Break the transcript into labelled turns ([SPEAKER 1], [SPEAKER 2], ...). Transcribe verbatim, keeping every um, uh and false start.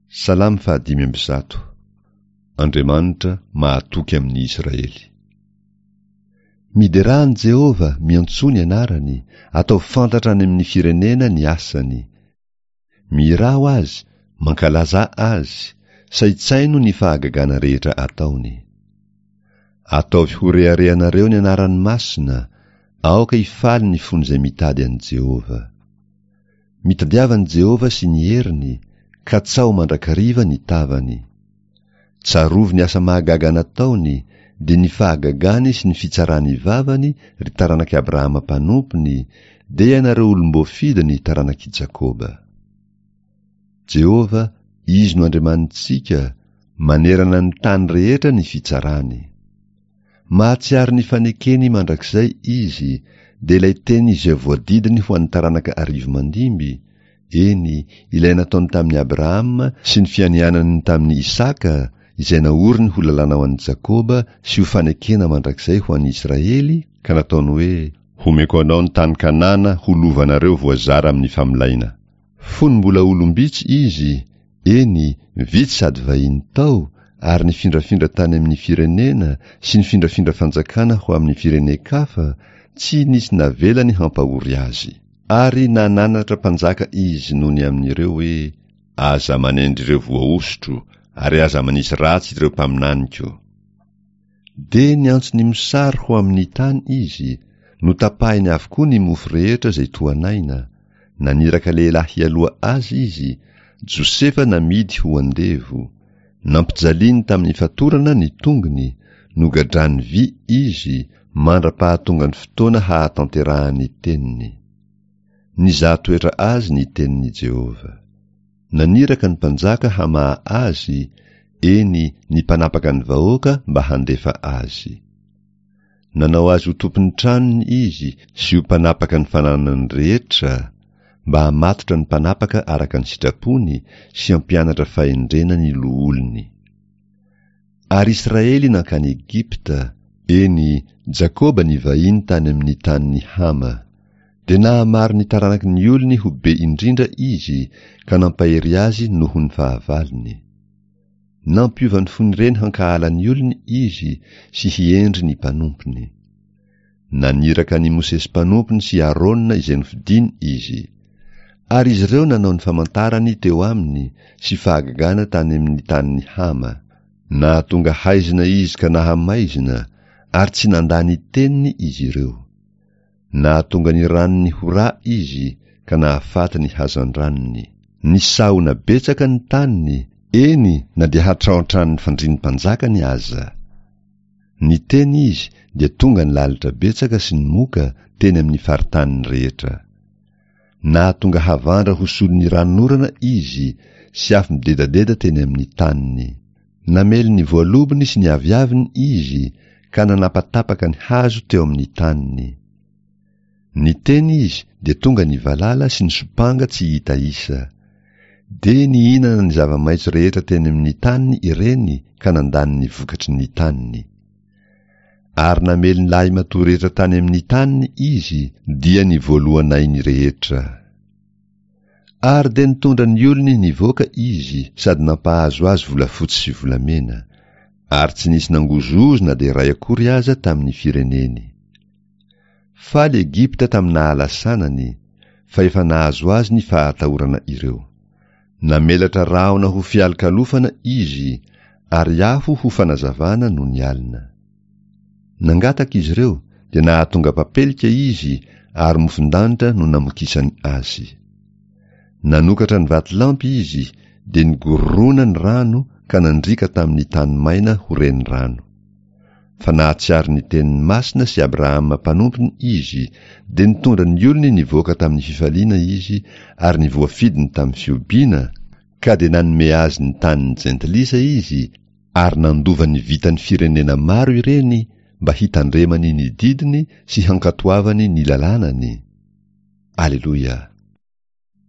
[SPEAKER 1] Salamo fahadimy amby zato. Andriamanitra mahatoky amin'ny Israely. Miderà an'i Jehovah, miantsoa ny anarany, ataovy fantatra any amin'ny firenena ny asany. Mihirà ho azy, mankalazà azy, saintsaino ny fahagagana rehetra ataony. Ataovy ho reharehanareo ny anarany masina, aoka hifaly ny fon'izay mitady an'i Jehovah. Mitadiava an'i Jehovah sy ny heriny, katsaho mandrakariva ny tavany. Tsarovy ny asa mahagaga nataony, dia ny fahagagany sy ny fitsaran'ny vavany, ry taranak'i Abrahama mpanompony, dia ianareo olom-boafidiny taranak'i Jakoba. Jehovah, Izy no Andriamanitsika, manerana ny tany rehetra ny fitsarany. Mahatsiaro ny fanekeny mandrakizay Izy, dia ilay teny izay voadidiny ho an'ny taranaka arivo mandimby, eny, ilay nataony tamin'i Abrahama sy ny fianianany tamin'i Isaka, izay naoriny ho lalàna ho an'i Jakoba sy ho fanekena mandrakizay ho an'i Israely, ka nataony hoe: Homeko anao ny tany Kanana ho lovanareo voazara amin'ny famolaina. Fony mbola olom-bitsy izy, eny, vitsy sady vahiny tao, ary nifindrafindra tany amin'ny firenena sy nifindrafindra fanjakana ho amin'ny firenen-kafa, tsy nisy navelany hampahory azy. Ary nananatra mpanjaka izy noho ny amin'ireo hoe: Aza manendry ireo voahosotro, ary aza manisy ratsy ireo mpaminaniko. Dia niantso ny mosary ho amin'ny tany izy, notapahiny avokoa ny mofo rehetra izay tohanaina, naniraka lehilahy hialoha azy izy, Josefa namidy ho andevo, nampijaliany tamin'ny fatorana ny tongony, nogadrany vy izy, mandra-pahatonga ny fotoana hahatanterahan'ny teniny. Nizaha toetra azy ny tenin'i Jehovah. Naniraka ny mpanjaka hamaha azy, eny, ny mpanapaka ny vahoaka mba handefa azy. Nanao azy ho tompon'ny tranony izy sy ho mpanapaka ny fananany rehetra, mba hamatotra ny mpanapaka araka ny sitrapony sy hampianatra fahendrena ny loholony. Ary Israely nankany Egypta, eny, Jakoba nivahiny tany amin'ny tanin'i Hama. Dia nahamaro ny taranaky ny olony ho be indrindra izy, ka nampahery azy noho ny fahavalony. Nampiova ny fon'ireny hankahala ny olony izy sy hiendry ny mpanompony. Naniraka an'i Mosesy mpanompony sy Aarona izay nofidiny izy. Ary izy ireo nanao ny famantarany teo aminy sy fahagagana tany amin'ny tanin'i Hama. Nahatonga haizina izy ka nahamaizina, ary tsy nandà ny teniny izy ireo. Nahatonga ny ranony ho ra izy, ka nahafaty ny hazandranony. Nisahona betsaka ny taniny, eny, na dia hatrao an-tranon'ny fandrian'ny mpanjakany aza. Niteny izy, dia tonga ny lalitra betsaka sy ny moka teny amin'ny faritaniny rehetra. Nahatonga havandra ho solon'ny ranonorana izy, sy afo midedadeda teny amin'ny taniny. Namely ny voalobony sy ny aviaviny izy, ka nanapatapaka ny hazo teo amin'ny taniny. Niteny izy, dia tonga ny valala sy ny sompanga tsy hita isa. Dia nihinana ny zava-maitso rehetra teny amin'ny taniny ireny ka nandany ny vokatry ny taniny. Ary namely ny lahimatoa rehetra tany amin'ny taniny izy, dia ny voalohanainy rehetra. Ary dia nitondra ny olony nivoaka izy sady nampahazo azy volafotsy sy volamena, ary tsy nisy nangozohozo na dia iray akory aza tamin'ny fireneny. Faly Egypta tamin'ny nahalasanany, fa efa nahazo azy ny fahatahorana ireo. Namelatra rahona ho fialokalofana izy, ary afo ho fanazavana nony alina. Nangataka izy ireo, dia nahatonga papelika izy, ary mofon-danitra no namokisany azy. Nanokatra ny vatolampy izy, dia nigorona ny rano ka nandriaka tamin'ny tany maina ho renirano. Fa nahatsiaro ny teniny masina sy Abrahama mpanompony izy, dia nitondra ny olony nivoaka tamin'ny fifaliana izy ary ny voafidiny tamin'ny fihobiana, ka dia nanome azy ny tanin'ny jentilisa izy, ary nandova ny vitan'ny firenena maro ireny mba hitandremany ny didiny sy hankatoavany ny lalànany. Aleloia!